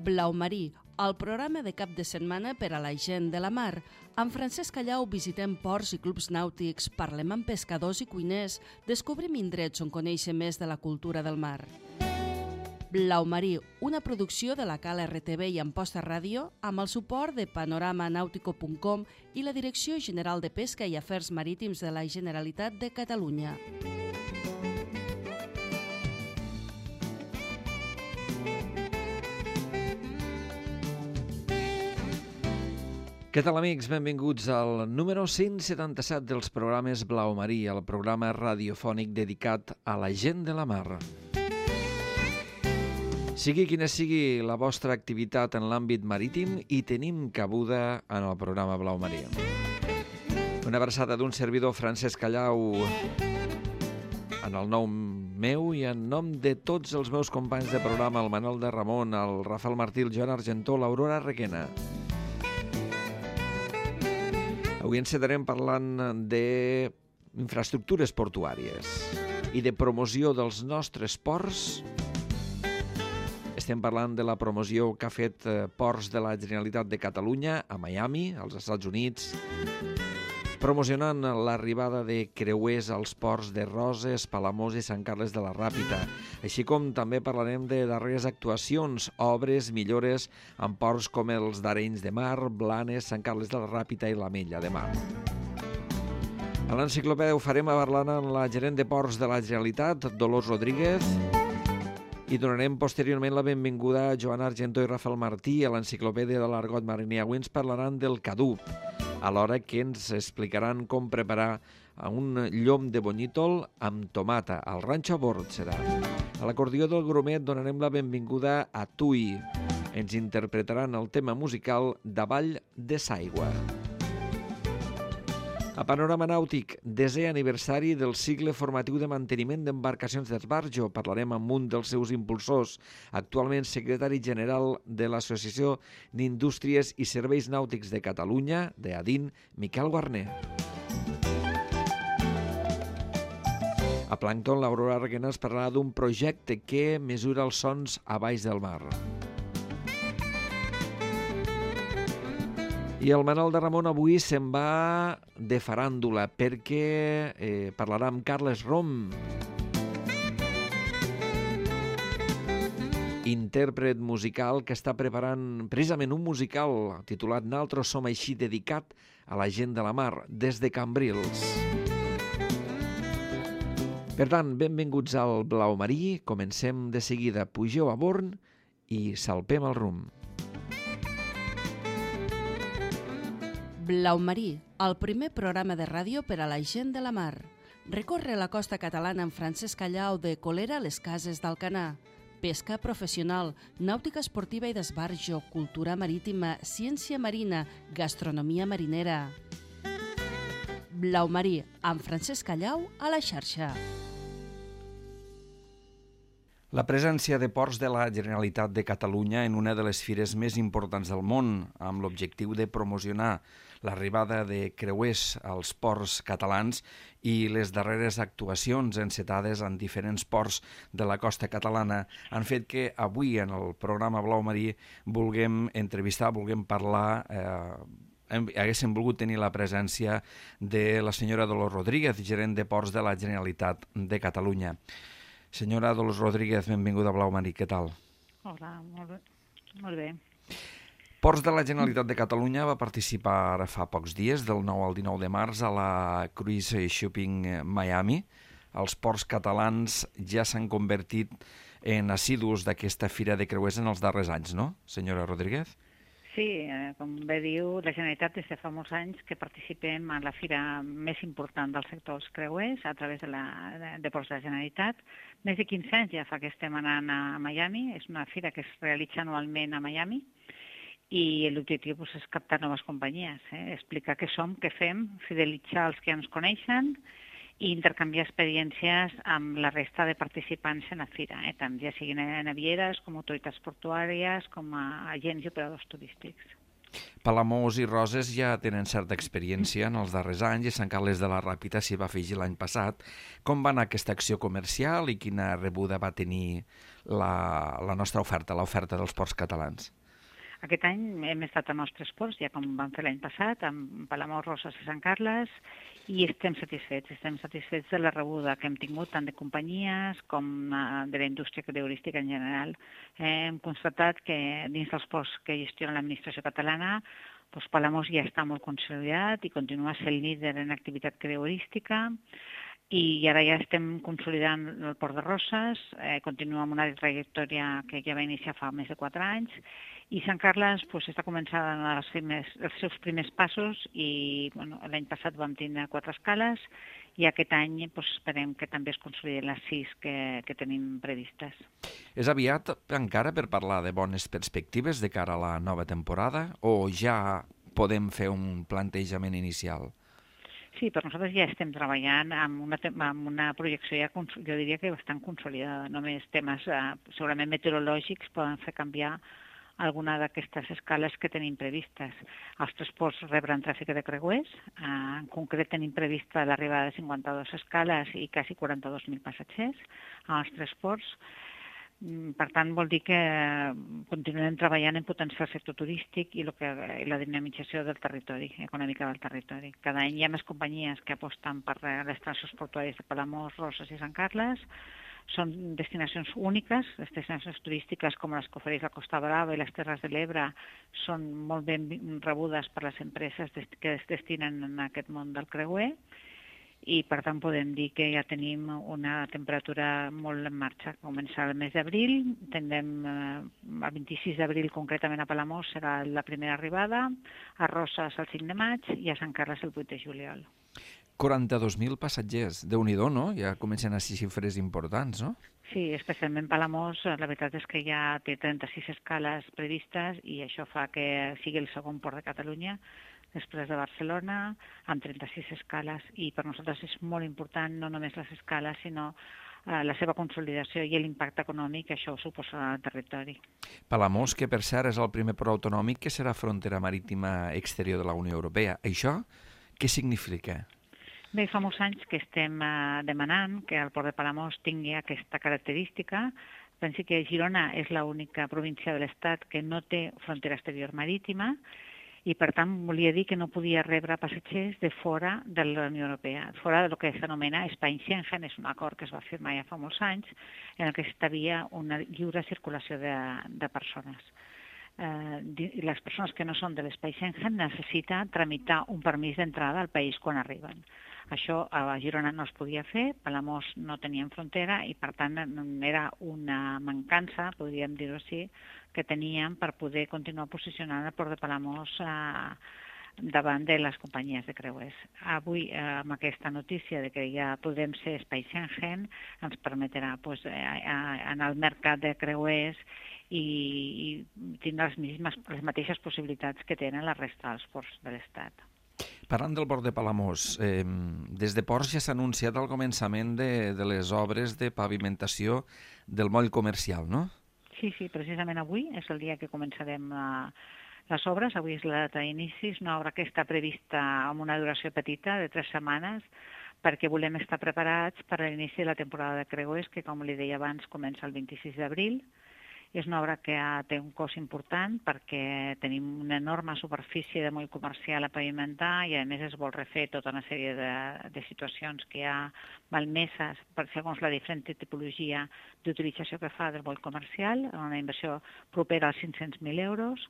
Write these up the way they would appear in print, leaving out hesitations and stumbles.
Blau Marí, el programa de cap de setmana per a la gent de la mar. Amb Francesc Callau visitem ports i clubs nàutics, parlem amb pescadors i cuiners, descobrim indrets on conèixer més de la cultura del mar. Blau Marí, una producció de la Cal RTV i Amposta Ràdio amb el suport de panoramanautico.com i la Direcció General de Pesca i Afers Marítims de la Generalitat de Catalunya. Què tal, amics? Benvinguts al número 177 dels programes Blau Marí, el programa radiofònic dedicat a la gent de la mar. Sigui quina sigui la vostra activitat en l'àmbit marítim, hi tenim cabuda en el programa Blau Marí. Una abraçada d'un servidor, Francesc Callau, en el nom meu i en nom de tots els meus companys de programa, el Manol de Ramon, el Rafael Martí, el Joan Argentó, l'Aurora Requena. Avui encetarem parlant d'infraestructures portuàries i de promoció dels nostres ports. Estem parlant de la promoció que ha fet Ports de la Generalitat de Catalunya a Miami, als Estats Units, promocionant l'arribada de creuers als ports de Roses, Palamós i Sant Carles de la Ràpita, així com també parlarem de darreres actuacions, obres, millores en ports com els d'Arenys de Mar, Blanes, Sant Carles de la Ràpita i l'Ametlla de Mar. A l'enciclopèdia ho farem parlant amb la gerent de Ports de la Generalitat, Dolors Rodríguez, i donarem posteriorment la benvinguda a Joan Argentó i Rafael Martí a l'enciclopèdia de l'Argot Mariner. Avui ens parlaran del cadup, alhora que ens explicaran com preparar un llom de bonyítol amb tomata. Al ranxo a bord serà. A l'acordió del Grumet donarem la benvinguda a Tui. Ens interpretaran el tema musical Davall de s'aigua. A Panorama Nàutic, 10è aniversari del cicle formatiu de manteniment d'embarcacions d'esbarjo. Parlarem amb un dels seus impulsors, actualment secretari general de l'Associació d'Indústries i Serveis Nàutics de Catalunya, d'ADIN, Miquel Guarner. A Plàncton, l'Aurora Requena ens parlarà d'un projecte que mesura els sons a baix del mar. I el Manol de Ramon avui se'n va de faràndula perquè parlarà amb Carles Rom, intèrpret musical que està preparant precisament un musical titulat Naltros som així, dedicat a la gent de la mar, des de Cambrils. Per tant, benvinguts al Blau Marí, comencem de seguida, pugeu a bord i salpem el rumb. Blau Marí, el primer programa de ràdio per a la gent de la mar. Recorre la costa catalana amb Francesc Callau de Colera a les Cases d'Alcanar. Pesca professional, nàutica esportiva i d'esbarjo, cultura marítima, ciència marina, gastronomia marinera. Blau Marí, amb Francesc Callau a la xarxa. La presència de Ports de la Generalitat de Catalunya en una de les fires més importants del món, amb l'objectiu de promocionar l'arribada de creuers als ports catalans i les darreres actuacions encetades en diferents ports de la costa catalana han fet que avui en el programa Blau Marí vulguem entrevistar, vulguem parlar, haguéssim volgut tenir la presència de la senyora Dolors Rodríguez, gerent de Ports de la Generalitat de Catalunya. Senyora Dolors Rodríguez, benvinguda a Blau Marí, què tal? Hola, molt bé. Ports de la Generalitat de Catalunya va participar fa pocs dies, del 9 al 19 de març, a la Cruise Shipping Miami. Els ports catalans ja s'han convertit en assidus d'aquesta fira de creuers en els darrers anys, no, senyora Rodríguez? Sí, com bé diu, la Generalitat des de fa molts anys que participem en la fira més important del sector dels creuers a través de Ports de la Generalitat. Més de 15 anys ja fa que estem anant a Miami, és una fira que es realitza anualment a Miami i l'objectiu és captar noves companyies, explicar què som, què fem, fidelitzar els que ja ens coneixen i intercanviar experiències amb la resta de participants en la fira, tant ja siguin navieres com autoritats portuàries, com agents i operadors turístics. Palamós i Roses ja tenen certa experiència en els darrers anys i Sant Carles de la Ràpita s'hi va afegir l'any passat. Com va anar aquesta acció comercial i quina rebuda va tenir la nostra oferta, l'oferta dels ports catalans? Aquest any hem estat a nostres ports, ja com vam fer l'any passat, amb Palamós, Roses i Sant Carles, i estem satisfets de la rebuda que hem tingut tant de companyies com de la indústria creuerística en general. Hem constatat que dins dels ports que gestiona l'administració catalana, doncs Palamós ja està molt consolidat i continua sent líder en activitat creuerística, i ara ja estem consolidant el Port de Roses, continua amb una trajectòria que ja va iniciar fa més de 4 anys, i Sant Carles està començant els seus primers passos i l'any passat vam tenir 4 escales i aquest any esperem que també es consoliden les 6 que tenim previstes. És aviat encara per parlar de bones perspectives de cara a la nova temporada o ja podem fer un plantejament inicial? Sí, però nosaltres ja estem treballant amb una projecció ja, jo diria que bastant consolidada. Només temes segurament meteorològics poden fer canviar alguna d'aquestes escales que tenim previstes. Els 3 ports rebran tràfic de creuers, en concret tenim prevista l'arribada de 52 escales i quasi 42.000 passatgers als 3 ports. Per tant, vol dir que continuem treballant en potenciar el sector turístic i la dinamització del territori, econòmica del territori. Cada any hi ha més companyies que aposten per les estacions portuàries de Palamós, Roses i Sant Carles. Són destinacions úniques, les destinacions turístiques com les que ofereix la Costa Brava i les Terres de l'Ebre són molt ben rebudes per les empreses que es destinen en aquest món del creuer, i per tant podem dir que ja tenim una temperatura molt en marxa. Començarà el mes d'abril, tindrem el 26 d'abril concretament a Palamós serà la primera arribada, a Roses el 5 de maig i a Sant Carles el 8 de juliol. 42.000 passatgers, Déu-n'hi-do, no? Ja comencen a ser xifres importants, no? Sí, especialment Palamós, la veritat és que ja té 36 escales previstes i això fa que sigui el segon port de Catalunya després de Barcelona, amb 36 escales, i per nosaltres és molt important no només les escales, sinó la seva consolidació i l'impacte econòmic que això suposarà al territori. Palamós, que per cert és el primer port autonòmic que serà frontera marítima exterior de la Unió Europea. Això què significa? Bé, fa molts anys que estem demanant que el port de Palamós tingui aquesta característica. Pensi que Girona és l'única província de l'Estat que no té frontera exterior marítima, i per tant volia dir que no podia rebre passatgers de fora de la Unió Europea, fora del que s'anomena Espai Schengen, és un acord que es va firmar ja fa molts anys, en el que establia una lliure circulació de persones. Les persones que no són de l'Espai Schengen necessiten tramitar un permís d'entrada al país quan arriben. Això a Girona no es podia fer, Palamós no tenien frontera i per tant era una mancança, podríem dir-ho així, que teníem per poder continuar posicionant el port de Palamós davant de les companyies de creuers. Avui, amb aquesta notícia de que ja podem ser Espai Schengen, ens permetrà anar al mercat de creuers i tindre les mateixes possibilitats que tenen la resta dels ports de l'Estat. Parlant del port de Palamós, des de Ports ja s'ha anunciat el començament de les obres de pavimentació del moll comercial, no? Sí, precisament avui és el dia que començarem les obres. Avui és la data d'inici, és una obra que està prevista amb una duració petita de 3 setmanes perquè volem estar preparats per a l'inici de la temporada de creuers, que com li deia abans comença el 26 d'abril. És una obra que té un cost important perquè tenim una enorme superfície de moll comercial a pavimentar i a més es vol refer tota una sèrie de situacions que hi ha malmeses segons la diferent tipologia d'utilització que fa del moll comercial, una inversió propera als 500.000 euros,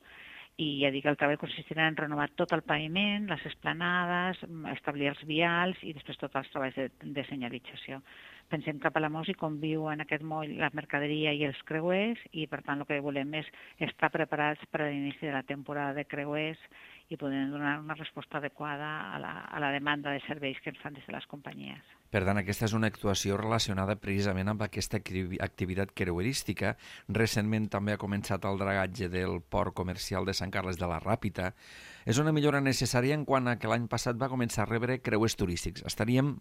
i ja dic, el treball consistirà en renovar tot el paviment, les esplanades, establir els vials i després tots els treballs de senyalització. Pensem que a Palamós hi conviu en aquest moll la mercaderia i els creuers i per tant el que volem és estar preparats per a l'inici de la temporada de creuers i poder donar una resposta adequada a la demanda de serveis que ens fan des de les companyies. Per tant, aquesta és una actuació relacionada precisament amb aquesta activitat creuerística. Recentment també ha començat el dragatge del port comercial de Sant Carles de la Ràpita. És una millora necessària en quant a que l'any passat va començar a rebre creuers turístics. Estaríem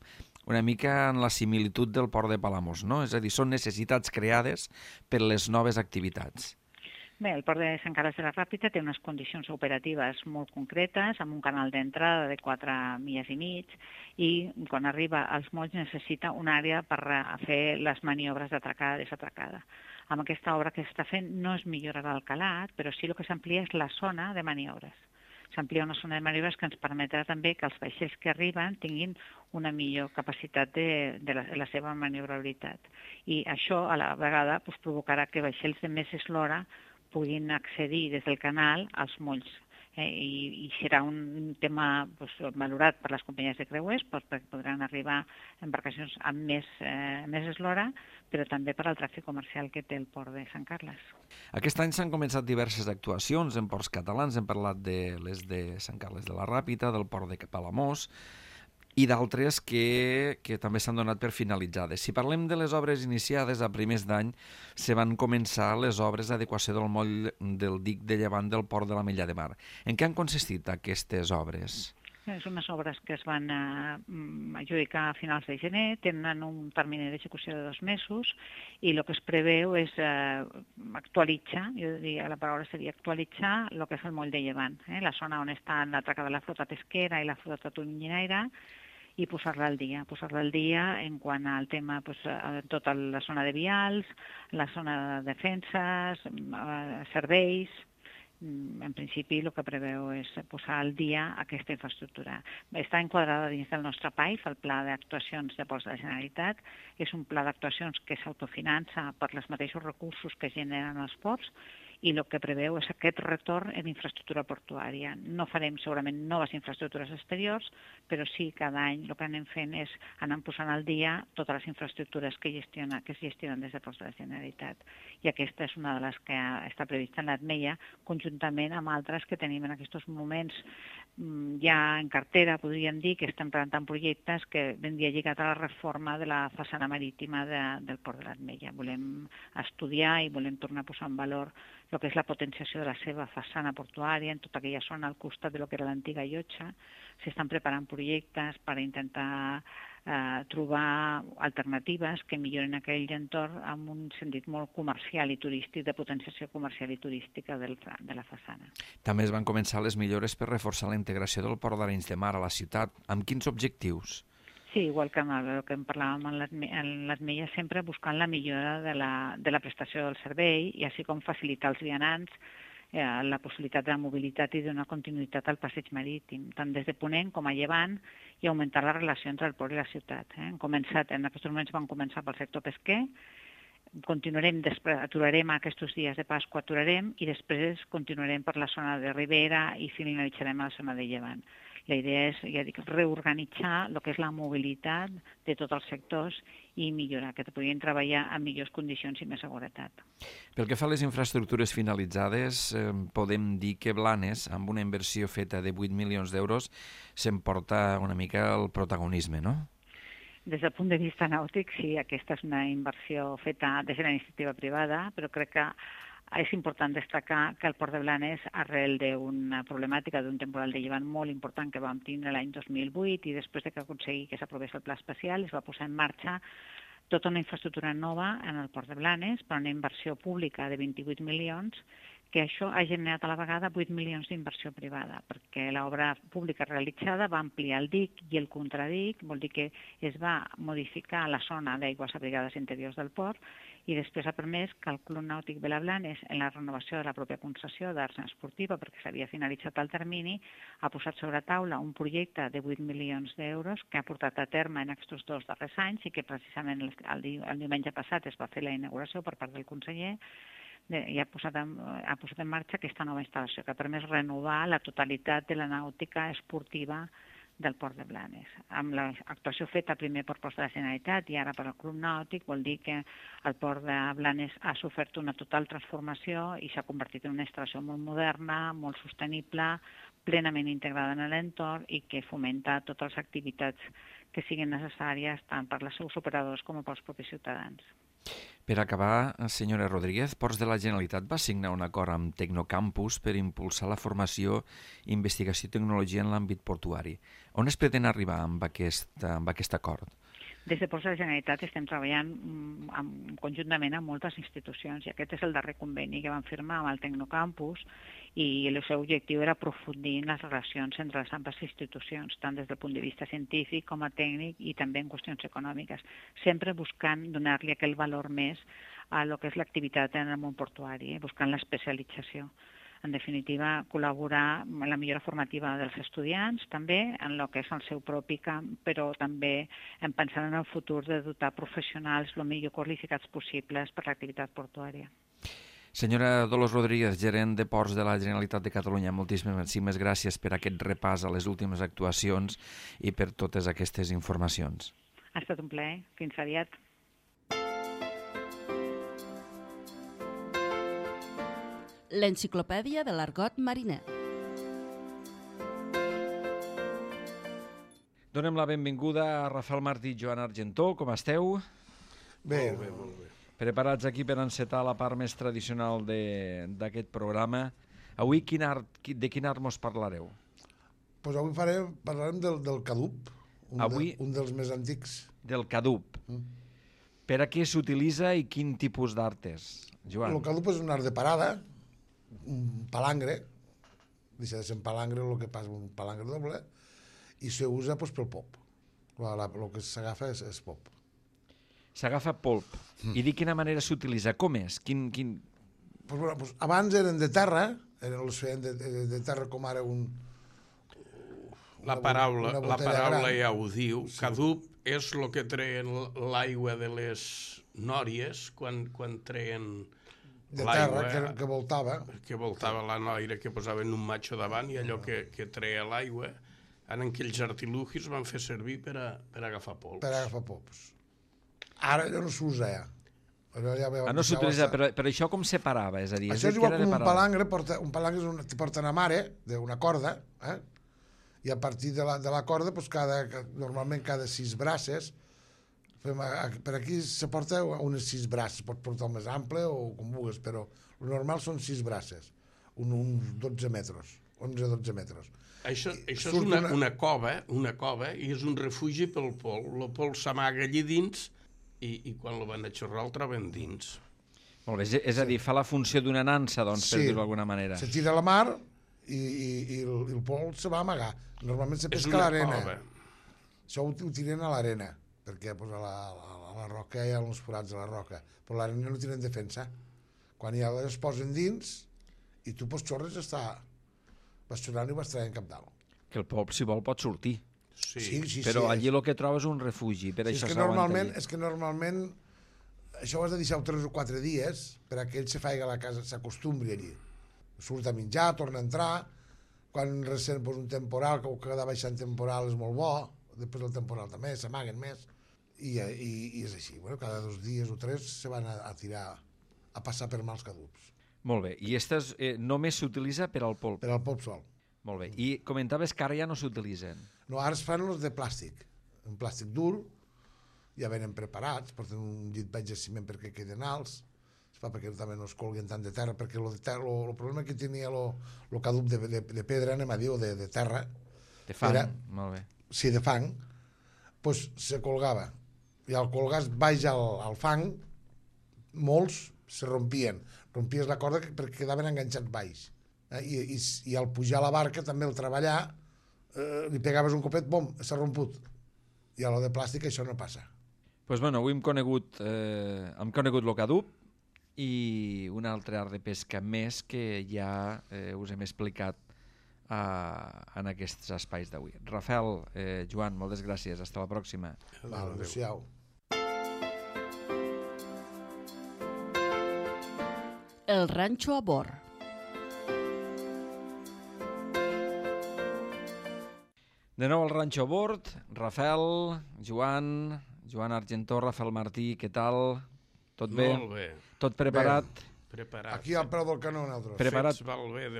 una mica en la similitud del port de Palamós, no? És a dir, són necessitats creades per les noves activitats. Bé, el port de Sant Carles de la Ràpita té unes condicions operatives molt concretes, amb un canal d'entrada de 4 milles i mig, i quan arriba als molls necessita una àrea per fer les maniobres d'atracada i desatracada. Amb aquesta obra que s'està fent no es millorarà el calat, però sí el que s'amplia és la zona de maniobres. S'amplia una zona de maniobres que ens permetrà també que els vaixells que arriben tinguin una millor capacitat de la seva maniobrabilitat. I això, a la vegada, provocarà que vaixells de més eslora puguin accedir des del canal als molls. I serà un tema valorat per les companyies de creuers, perquè podran arribar embarcacions amb més eslora, però també per al tràfic comercial que té el port de Sant Carles. Aquest any s'han començat diverses actuacions en ports catalans. Hem parlat de les de Sant Carles de la Ràpita, del port de Palamós, i d'altres que també s'han donat per finalitzades. Si parlem de les obres iniciades a primers d'any, se van començar les obres d'adequació del moll del dic de llevant del port de l'Ametlla de Mar. En què han consistit aquestes obres? Són unes obres que es van adjudicar a finals de gener, tenen un termini d'execució de 2 mesos i el que es preveu és actualitzar, jo diria la paraula seria actualitzar el que és el moll de llevant, la zona on està l'atracada de la flota pesquera i la flota tonyinaire, i posar-la al dia en quant al tema, tota la zona de vials, la zona de defenses, serveis. En principi el que preveu és posar al dia aquesta infraestructura. Està enquadrada dins del nostre PAIF, el Pla d'Actuacions de Ports de la Generalitat. És un pla d'actuacions que s'autofinança per els mateixos recursos que generen els ports, i el que preveu és aquest retorn en infraestructura portuària. No farem segurament noves infraestructures exteriors, però sí cada any el que anem fent és anar posant al dia totes les infraestructures que es gestionen des de Ports de la Generalitat. I aquesta és una de les que està prevista en l'Atmeia, conjuntament amb altres que tenim en aquests moments ja en cartera, podríem dir, que estem presentant projectes que vendria lligat a la reforma de la façana marítima del port de l'Atmeia. Volem estudiar i volem tornar a posar en valor el que és la potenciació de la seva façana portuària en tota aquella zona al costat de lo que era l'antiga llotja. S'estan preparant projectes per intentar trobar alternatives que milloren aquell entorn amb un sentit molt comercial i turístic, de potenciació comercial i turística de la façana. També es van començar les millores per reforçar la integració del port d'Arenys de Mar a la ciutat. Amb quins objectius? Sí, igual que el que en parlàvem en l'Atmeia, sempre buscant la millora de la prestació del servei i així com facilitar als vianants la possibilitat de la mobilitat i d'una continuïtat al passeig marítim, tant des de Ponent com a Llevant, i augmentar la relació entre el port i la ciutat. En aquests moments van començar pel sector pesquer, continuarem, aturarem aquests dies de Pasqua, i després continuarem per la zona de Ribera i finalitzarem a la zona de Llevant. La idea és, ja dic, reorganitzar el que és la mobilitat de tots els sectors i millorar, que puguin treballar en millors condicions i més seguretat. Pel que fa a les infraestructures finalitzades, podem dir que Blanes, amb una inversió feta de 8 milions d'euros, s'emporta una mica el protagonisme, no? Des del punt de vista nàutic, sí, aquesta és una inversió feta des de la iniciativa privada, però crec que és important destacar que el Port de Blanes, arrel d'una problemàtica d'un temporal de llevant molt important que vam tindre l'any 2008 i després de que aconseguir que s'aprovés el pla especial, es va posar en marxa tota una infraestructura nova en el Port de Blanes per una inversió pública de 28 milions, que això ha generat a la vegada 8 milions d'inversió privada, perquè l'obra pública realitzada va ampliar el dic i el contradic, vol dir que es va modificar la zona d'aigües abrigades interiors del port, i després ha permès que el Club Nàutic Vilablanes, en la renovació de la pròpia concessió d'arts esportiva, perquè s'havia finalitzat el termini, ha posat sobre taula un projecte de 8 milions d'euros que ha portat a terme en aquests 2 darrers anys i que precisament el diumenge passat es va fer la inauguració per part del conseller i ha posat en marxa aquesta nova instal·lació que ha permès renovar la totalitat de la nàutica esportiva del Port de Blanes. Amb l'actuació feta primer per Ports de la Generalitat i ara per al Club Nàutic, vol dir que el Port de Blanes ha sofert una total transformació i s'ha convertit en una instal·lació molt moderna, molt sostenible, plenament integrada en l'entorn i que fomenta totes les activitats que siguin necessàries tant per als seus operadors com pels propis ciutadans. Per acabar, senyora Rodríguez, Ports de la Generalitat va signar un acord amb Tecnocampus per impulsar la formació, investigació i tecnologia en l'àmbit portuari. On es pretén arribar amb aquest acord? Des de Ports de la Generalitat estem treballant conjuntament amb moltes institucions i aquest és el darrer conveni que vam firmar amb el Tecnocampus i el seu objectiu era aprofundir en les relacions entre les amples institucions, tant des del punt de vista científic com a tècnic i també en qüestions econòmiques, sempre buscant donar-li aquell valor més a lo que és l'activitat en el món portuari, buscant l'especialització. En definitiva, col·laborar en la millora formativa dels estudiants, també en el que és el seu propi camp, però també en pensar en el futur de dotar professionals el millor qualificats possibles per l'activitat portuària. Senyora Dolors Rodríguez, gerent de Ports de la Generalitat de Catalunya, moltíssimes gràcies per aquest repàs a les últimes actuacions i per totes aquestes informacions. Ha estat un plaer. Fins aviat. L'enciclopèdia de l'argot mariner. Donem la benvinguda a Rafael Martí i Joan Argentó. Com esteu? Bé, molt bé. Preparats aquí per encetar la part més tradicional d'aquest programa. Avui de quin art mos parlareu? Pues avui parlarem del cadup, un dels més antics. Del cadup. Per a què s'utilitza i quin tipus d'art és? Joan. El cadup és un art de parada, un palangre, deixa de ser un palangre el que passa un palangre doble, i s'usa pues, pel pop. El que s'agafa és pop. S'agafa polp. I de quina manera s'utilitza? Com és? Pues, abans eren de terra, els feien de terra com ara La paraula ja ho diu. Sí. Cadup és el que treien l'aigua de les nòries quan treien de terra que voltava. Que voltava la noira, que posaven un matxo davant i allò que treia l'aigua, en aquells artilugis van fer servir per agafar pols. Per agafar pols. Ara ja no s'usa, ja. No s'utilitza, però això com se parava? És a dir, això és igual com un palangre. Un palangre te porta una mare d'una corda, i a partir de la corda, normalment cada 6 braces, per aquí se porta unes 6 braces, pot portar el més ample o com vulguis, però el normal són 6 braces, uns 12 metres, 11-12 metres. Això és una cova i és un refugi pel pol. El pol s'amaga allí dins i quan el van a xorrar el troben dins. Molt bé, és a dir, fa la funció d'una nansa, doncs, per dir-ho d'alguna manera. Se tira a la mar i el pol se va amagar. Normalment se pesca a l'arena. Això ho tiren a l'arena, perquè a la roca hi ha uns forats a la roca, però l'arena no tenen defensa. Quan ja es posen dins i tu pots xorres vas xorrant i vas traient cap dalt. Que el pop, si vol, pot sortir. Sí. Però allí el que trobes és un refugi, per això s'aguanta allí. És que normalment això ho has de deixar 3 o 4 dies perquè ell se faci a la casa, s'acostumbri allí. Surt a menjar, torna a entrar, quan recent un temporal, que cada baixant temporal és molt bo, després del temporal també, s'amaguen més, i és així. Cada 2 dies o 3 se van a tirar, a passar per mals cadups. Molt bé, i aquestes només s'utilitza per al polp? Per al polp sol. Molt bé, i comentaves que ara ja no s'utilitzen? No, ara es fan els de plàstic, un plàstic dur, ja venen preparats, porten un llit baix de ciment perquè queden alts, es fa perquè també no es colguen tant de terra, perquè el problema que tenia el cadup de pedra, anem a dir, o de terra... De fang, molt bé. Sí, de fang, doncs se colgava. I al colgar baix al fang, molts se rompien. Rompies la corda perquè quedaven enganxats baix. I al pujar a la barca, també al treballar, li pegaves un copet, bom, s'ha romput. I a lo de plàstic això no passa. Doncs bueno, avui hem conegut el cadup i un altre art de pesca més que ja us hem explicat en aquests espais d'avui. Rafael, Joan, moltes gràcies. Hasta la pròxima. Adéu-siau. El ranxo a bord. De nou al ranxo a bord. Rafael, Joan Argentó, Rafael Martí, què tal? Tot bé? Molt bé. Tot preparat? Preparats. Aquí al peu del canó, nosaltres. Preparats, val bé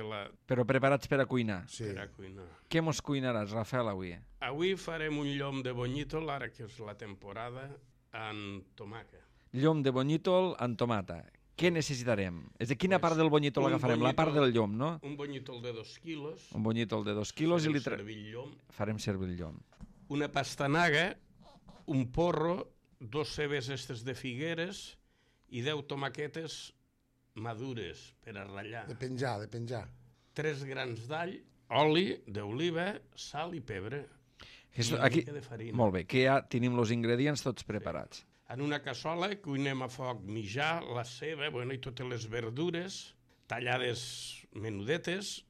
però preparats per a cuinar? Sí. Per a cuinar. Què mos cuinaràs, Rafael, avui? Avui farem un llom de bonyítol, ara que és la temporada, amb tomaca. Llom de bonyítol amb tomata. Què necessitarem? És de quina part del bonyítol agafarem? La part del llom, no? Un bonyítol de 2 quilos. Un bonyítol de 2 quilos i farem servir el llom. Farem servir el llom. Una pastanaga un porro, 2 cebes estes de figueres i 10 tomaquetes madures per a ratllar. De penjar. 3 grans d'all, oli d'oliva, sal i pebre. I una Aquí, mica de farina. molt bé, que ja tenim els ingredients tots preparats. Sí. En una cassola cuinem a foc mitjà la ceba, i totes les verdures, tallades menudetes,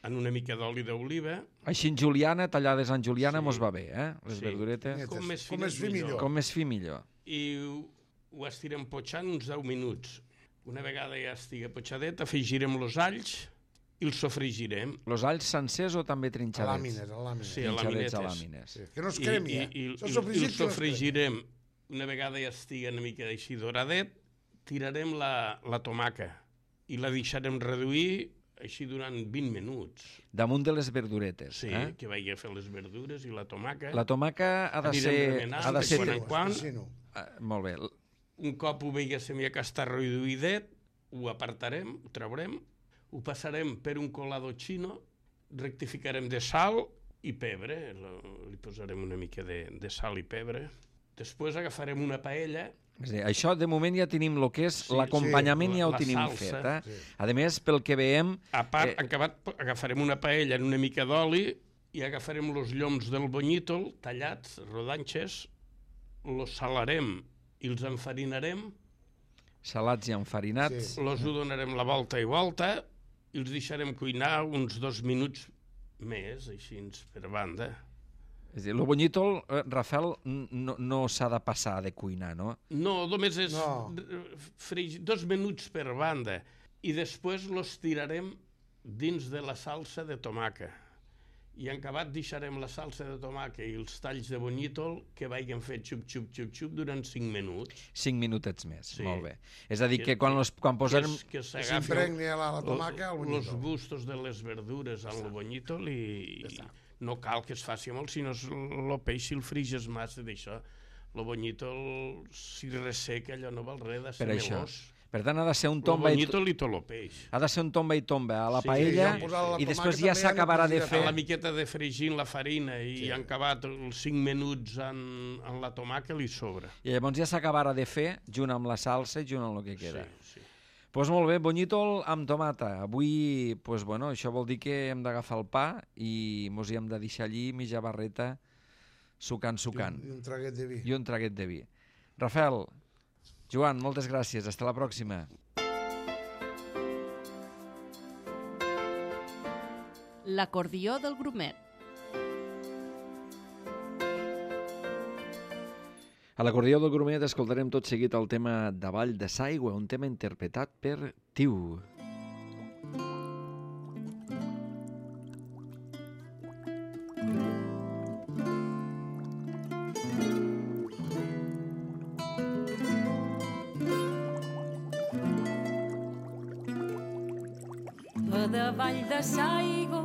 en una mica d'oli d'oliva. Així en juliana, tallades en juliana, Sí. mos va bé, les verduretes. Com més Com fines, més fi millor. Com més fi millor. I ho estirem potxant uns 10 minuts. Una vegada ja estigui potxadet, afegirem els alls i els sofregirem. Els alls sencers o també A trinxadets? làmines. Sí, a Trinxadets a làminetes. làmines. Sí, que no es cremi, I Això sofregit els que no es cremi. sofregirem. Una vegada ja estigui una mica així doradet, tirarem la tomaca i la deixarem reduir així durant 20 minuts. Damunt de les verduretes. Sí, que vagi a fer les verdures i la tomaca. La tomaca ha de Anirem ser... remenant Ha de de ser... quan en quan. Molt bé. Un cop ho veiéssim ja que està reduïdet, ho apartarem, ho traurem, ho passarem per un colador xino, rectificarem de sal i pebre, li posarem una mica de sal i pebre. Després agafarem una paella. És a dir, això de moment ja tenim el que és Sí, l'acompanyament, sí, ja ho la tenim salsa. fet. Sí. A més, pel que veiem... A part, agafarem una paella en una mica d'oli i agafarem els lloms del bonyítol tallats, rodanxes, els salarem i els enfarinarem, Salats i enfarinats. Sí. els ho donarem la volta i volta i els deixarem cuinar uns 2 minuts més, així per banda. És a dir, el bonyítol, Rafael, no s'ha de passar de cuinar, no? No, només és No. 2 minuts per banda i després los tirarem dins de la salsa de tomaca. I en acabat deixarem la salsa de tomaca i els talls de bonyítol que vagin fet xup durant 5 minuts. 5 minutets més, Sí. molt bé. És a dir, que quan posarem... Que S'impregni la tomaca al els bonyítol. gustos de les verdures amb el bonyítol i no cal que es faci molt, sinó el peix si el friges massa d'això. El bonyítol, si resseca, allò no val res de ser Per això. melós. Per tant, ha de ser un El tomba i bonyítol i tot el peix. ha de ser un tomba i tomba a la Sí, paella sí, posar la i després tomàquet ja també, s'acabarà de ja fer... La miqueta de fregir en la farina i han acabat els 5 minuts en la tomaca li sobra. I llavors ja s'acabarà de fer junt amb la salsa i junt amb el que queda. Sí. Doncs molt bé, bonyítol amb tomata. Avui, això vol dir que hem d'agafar el pa i mos hi hem de deixar allí mitja barreta sucant. I un traguet de vi. I un traguet de vi. Rafael, Joan, moltes gràcies. Hasta la pròxima. L'acordió del grumet. A l'acordió del grumet escoltarem tot seguit el tema Davall de s'aigua, un tema interpretat per Tiu. A davall de s'aigua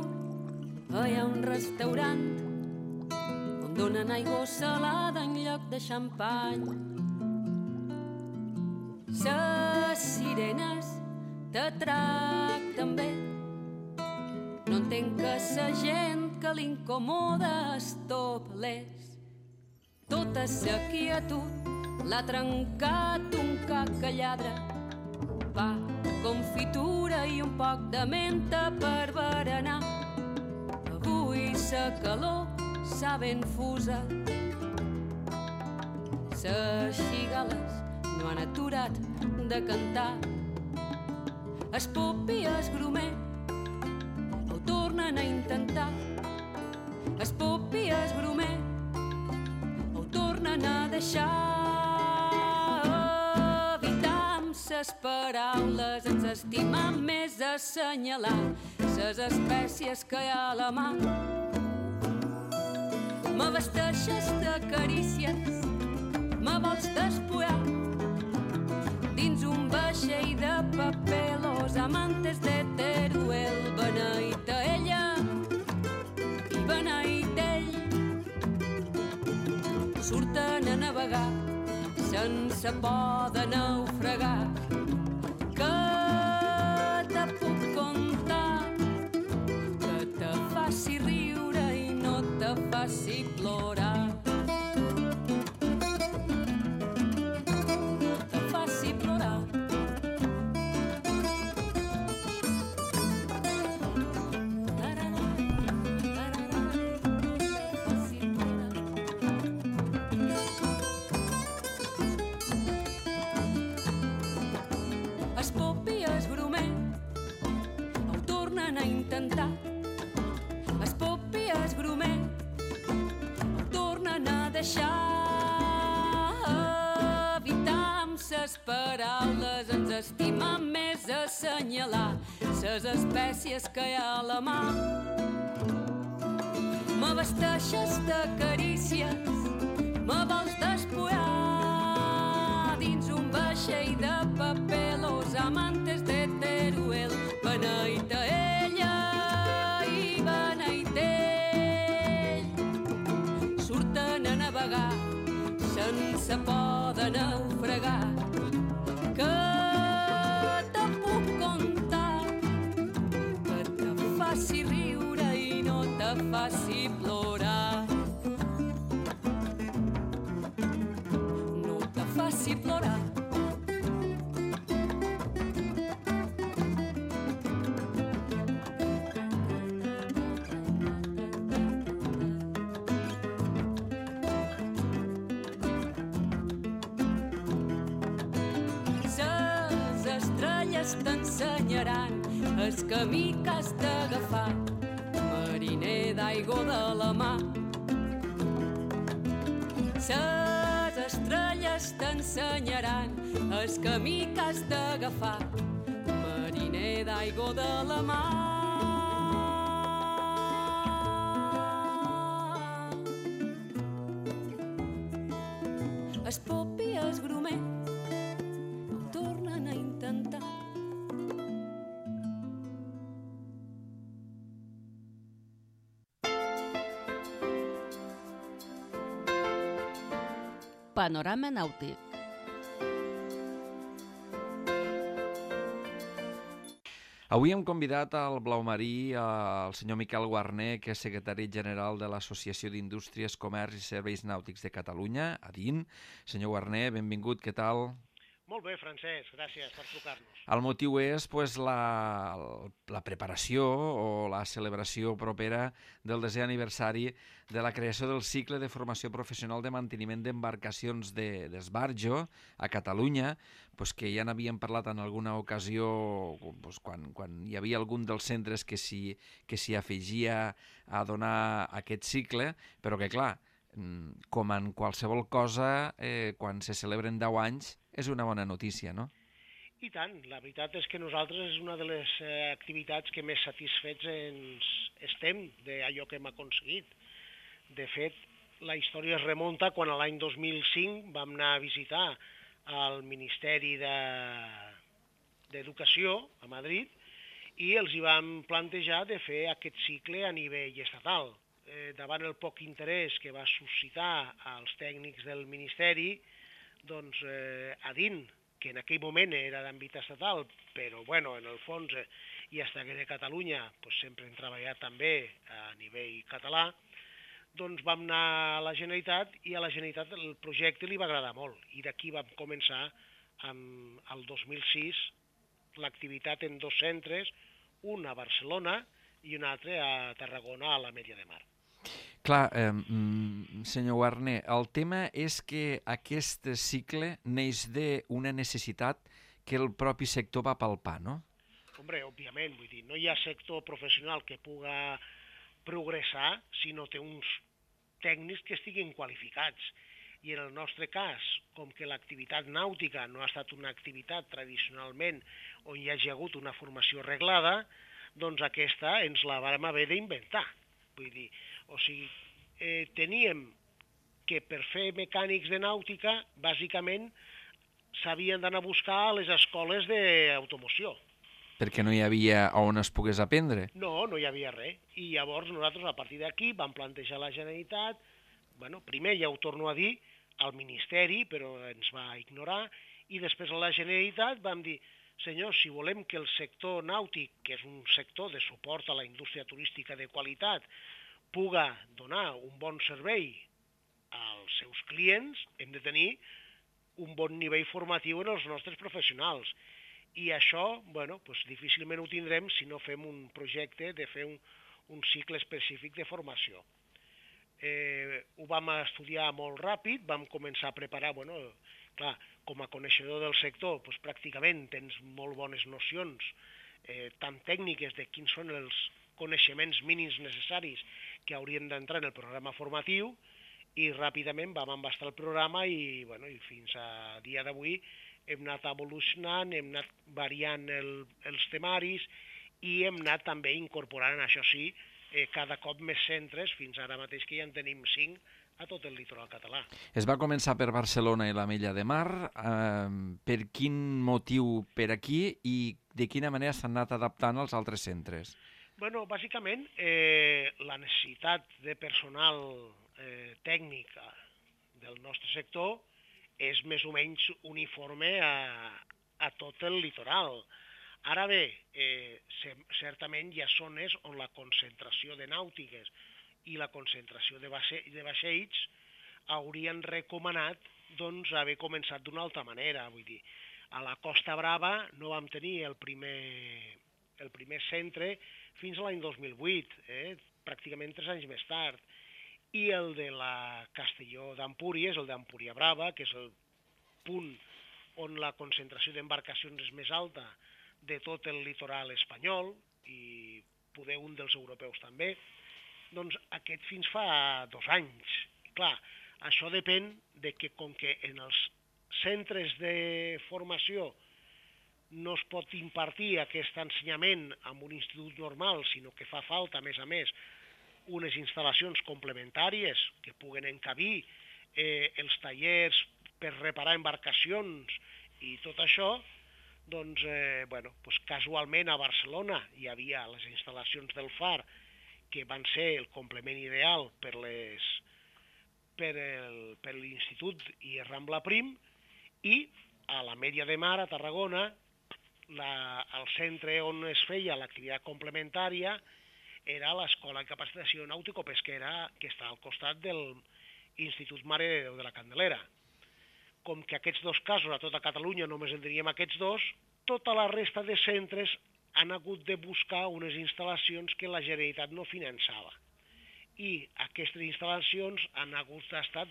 hi ha un restaurant on donen aigua salada en lloc de xampany. Ses sirenes te tracten bé. No entenc que sa gent que l'incomoda es toplés. Tota sa quietud l'ha trencat un cac que lladra. Pa, confitura i un poc de menta per berenar. Avui sa calor s'ha ben fusa. Ses xigales no han aturat de cantar. Es pop i es grumer ho tornen a intentar. Es pop i es grumer ho tornen a deixar. Ses paraules ens estimam més assenyalar ses espècies que hi ha a la mà. M'abasteixes de carícies, me vols despullar dins un vaixell de paper. Los amantes de Teruel, beneït a ella i beneït ell, surten a navegar sense por de naufragar. Que te puc contar que te faci riure i no te faci plorar. tornen a intentar. Es pop i es grumet ho tornen a deixar. Evitam ses paraules, ens estima més assenyalar ses espècies que hi ha a la mà. M'abasteixes de carícies, me vols despullar dins un vaixell de paper. Los amantes de Teruel, beneït a ella i beneït ell, surten a navegar sense por de naufragar. Que te puc contar, que te faci riure i no te faci plorar. No te faci plorar. Ses estrelles t'ensenyaran el camí que has d'agafar, mariner d'aigua de la mà. Ses estrelles t'ensenyaran el camí que has d'agafar, mariner d'aigua de la mà. Es pop i es grumet ho tornen a intentar. Panorama nàutic. Avui hem convidat al Blaumarí el senyor Miquel Guarner, que és secretari general de l'Associació d'Indústries, Comerç i Serveis Nàutics de Catalunya, ADIN. Senyor Guarner, benvingut, què tal? Molt bé, Francesc, gràcies per trucar-nos. El motiu és la preparació o la celebració propera del 10è aniversari de la creació del cicle de formació professional de manteniment d'embarcacions d'esbarjo a Catalunya, que ja n'havíem parlat en alguna ocasió quan hi havia algun dels centres que s'hi afegia a donar aquest cicle, però que clar, com en qualsevol cosa, quan se celebren 10 anys, és una bona notícia, no? I tant, la veritat és que nosaltres és una de les activitats que més satisfets ens estem d'allò que hem aconseguit. De fet, la història es remunta quan l'any 2005 vam anar a visitar al Ministeri d'Educació a Madrid i els hi vam plantejar de fer aquest cicle a nivell estatal. Davant el poc interès que va suscitar als tècnics del Ministeri, doncs ADIN, que en aquell moment era d'àmbit estatal, però bueno, en el fons i hasta que de Catalunya sempre hem treballat també a nivell català, doncs vam anar a la Generalitat i a la Generalitat el projecte li va agradar molt i d'aquí vam començar el 2006 l'activitat en 2 centres, un a Barcelona i un altre a Tarragona, a l'Ametlla de Mar. Clar, senyor Guarner, el tema és que aquest cicle neix d'una necessitat que el propi sector va palpar, no? Hombre, òbviament, vull dir, no hi ha sector professional que puga progressar si no té uns tècnics que estiguin qualificats. I en el nostre cas, com que l'activitat nàutica no ha estat una activitat tradicionalment on hi hagi hagut una formació reglada, doncs aquesta ens la vam haver d'inventar. Vull dir, o sigui, teníem que per fer mecànics de nàutica, bàsicament, s'havien d'anar a buscar a les escoles d'automoció. Perquè no hi havia on es pogués aprendre? No, no hi havia res. I llavors nosaltres, a partir d'aquí, vam plantejar a la Generalitat, primer ja ho torno a dir, al Ministeri, però ens va ignorar, i després a la Generalitat vam dir, senyors, si volem que el sector nàutic, que és un sector de suport a la indústria turística de qualitat, puga donar un bon servei als seus clients, hem de tenir un bon nivell formatiu en els nostres professionals. I això, difícilment ho tindrem si no fem un projecte de fer un cicle específic de formació. Ho vam estudiar molt ràpid, vam començar a preparar, clar, com a coneixedor del sector, pràcticament tens molt bones nocions tant tècniques de quins són els coneixements mínims necessaris que haurien d'entrar en el programa formatiu, i ràpidament vam embastar el programa i fins a dia d'avui hem anat evolucionant, hem anat variant els temaris i hem anat també incorporant, això sí, cada cop més centres, fins ara mateix que ja en tenim 5 a tot el litoral català. Es va començar per Barcelona i l'Ametlla de Mar. Per quin motiu per aquí i de quina manera s'han anat adaptant als altres centres? Bueno, bàsicament, la necessitat de personal tècnic del nostre sector és més o menys uniforme a tot el litoral. Ara bé, certament hi ha zones on la concentració de nàutiques i la concentració de vaixells haurien recomanat haver començat d'una altra manera. Vull dir, a la Costa Brava no vam tenir el primer centre fins a l'any 2008, pràcticament 3 anys més tard. I el de la Castelló d'Empúries, el d'Empúria Brava, que és el punt on la concentració d'embarcacions és més alta de tot el litoral espanyol, i poder un dels europeus també, doncs aquest fins fa 2 anys. I clar, això depèn de que, com que en els centres de formació no es pot impartir aquest ensenyament amb un institut normal, sinó que fa falta, a més, unes instal·lacions complementàries que puguen encabir els tallers per reparar embarcacions i tot això, doncs, casualment a Barcelona hi havia les instal·lacions del FAR, que van ser el complement ideal per l'Institut i Rambla Prim, i a l'Ametlla de Mar, a Tarragona, el centre on es feia l'activitat complementària era l'Escola de Capacitació Nàutico-Pesquera, que està al costat de l'Institut Mare de Déu de la Candelera. Com que aquests 2 casos a tota Catalunya només en teníem aquests 2, tota la resta de centres han hagut de buscar unes instal·lacions que la Generalitat no finançava. I aquestes instal·lacions han hagut d'estar,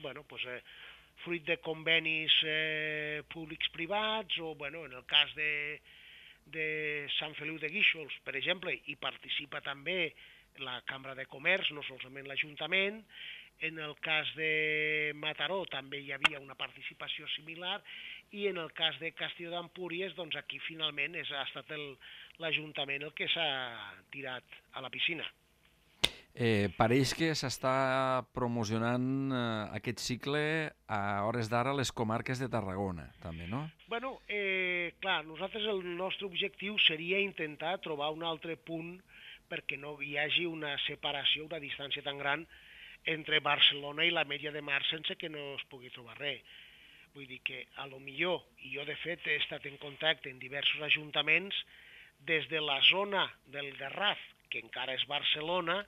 fruit de convenis públics-privats, o en el cas de Sant Feliu de Guíxols, per exemple, hi participa també la Cambra de Comerç, no solament l'Ajuntament. En el cas de Mataró també hi havia una participació similar, i en el cas de Castelló d'Empúries, doncs aquí finalment ha estat l'Ajuntament el que s'ha tirat a la piscina. Pareix que s'està promocionant aquest cicle a hores d'ara a les comarques de Tarragona, també, no? Clar, nosaltres el nostre objectiu seria intentar trobar un altre punt perquè no hi hagi una separació, una distància tan gran entre Barcelona i l'Ametlla de Mar sense que no es pugui trobar res. Vull dir que, a lo millor, i jo de fet he estat en contacte amb diversos ajuntaments, des de la zona del Garraf, que encara és Barcelona,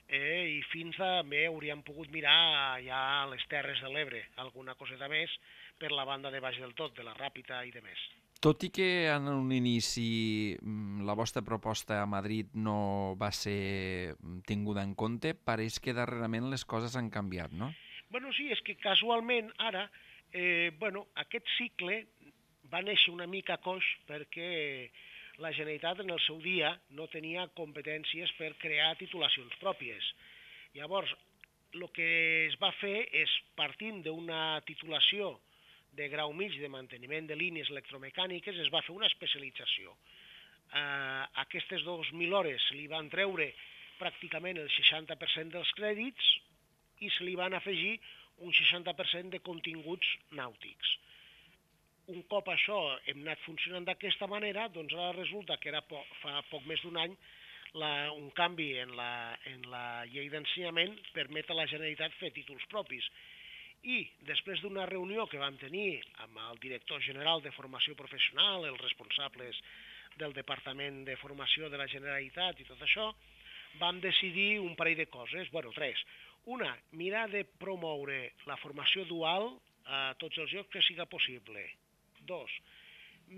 i fins també hauríem pogut mirar ja a les Terres de l'Ebre, alguna coseta més per la banda de baix del tot, de la Ràpita i de més. Tot i que en un inici la vostra proposta a Madrid no va ser tinguda en compte, pareix que darrerament les coses han canviat, no? Sí, és que casualment ara, aquest cicle va néixer una mica coix perquè la Generalitat en el seu dia no tenia competències per crear titulacions pròpies. Llavors, el que es va fer és, partint d'una titulació de grau mig de manteniment de línies electromecàniques, es va fer una especialització. Aquestes 2.000 hores se li van treure pràcticament el 60% dels crèdits i se li van afegir un 60% de continguts nàutics. Un cop això hem anat funcionant d'aquesta manera, doncs ara resulta que fa poc més d'un any un canvi en la llei d'ensenyament permet a la Generalitat fer títols propis. I després d'una reunió que vam tenir amb el director general de formació professional, els responsables del Departament de Formació de la Generalitat i tot això, vam decidir un parell de coses, 3. Una, mirar de promoure la formació dual a tots els llocs que siga possible. 2,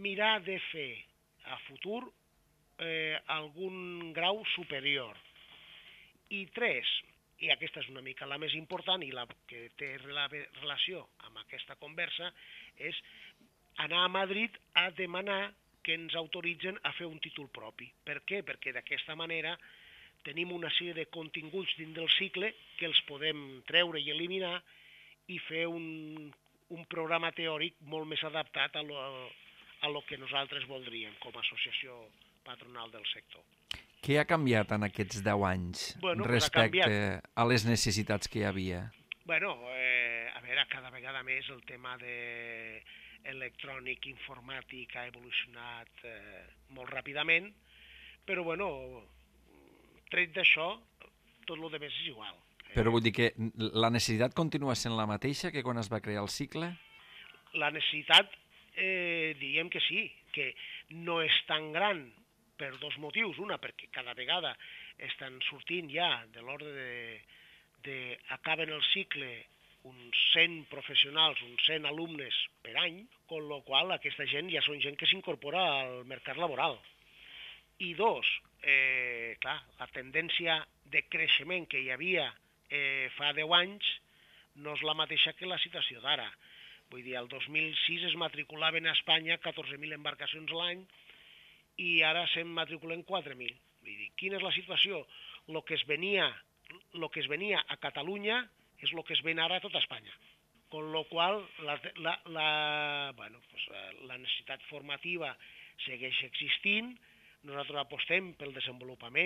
mirar de fer a futur algun grau superior. I 3, i aquesta és una mica la més important i la que té relació amb aquesta conversa, és anar a Madrid a demanar que ens autoritzen a fer un títol propi. Per què? Perquè d'aquesta manera tenim una sèrie de continguts dins del cicle que els podem treure i eliminar i fer un programa teòric molt més adaptat a lo que nosaltres voldríem com a associació patronal del sector. Què ha canviat en aquests 10 anys respecte a les necessitats que hi havia? Bueno, a veure, cada vegada més el tema electrònic, informàtic ha evolucionat molt ràpidament, però bueno, tret d'això, tot el més és igual. Però vull dir que la necessitat continua sent la mateixa que quan es va crear el cicle? La necessitat, diríem que sí, que no és tan gran per dos motius. Una, perquè cada vegada estan sortint ja de l'ordre acaben el cicle uns 100 professionals, uns 100 alumnes per any, amb la qual aquesta gent ja són gent que s'incorpora al mercat laboral. I dos, clar, la tendència de creixement que hi havia fa 10 anys no és la mateixa que la situació d'ara. Vull dir, el 2006 es matriculaven a Espanya 14.000 embarcacions a l'any i ara se'n matriculen 4.000. Vull dir, quina és la situació? El que es venia a Catalunya és el que es ven ara a tota Espanya. Con lo qual, la necessitat formativa segueix existint, nosaltres apostem pel desenvolupament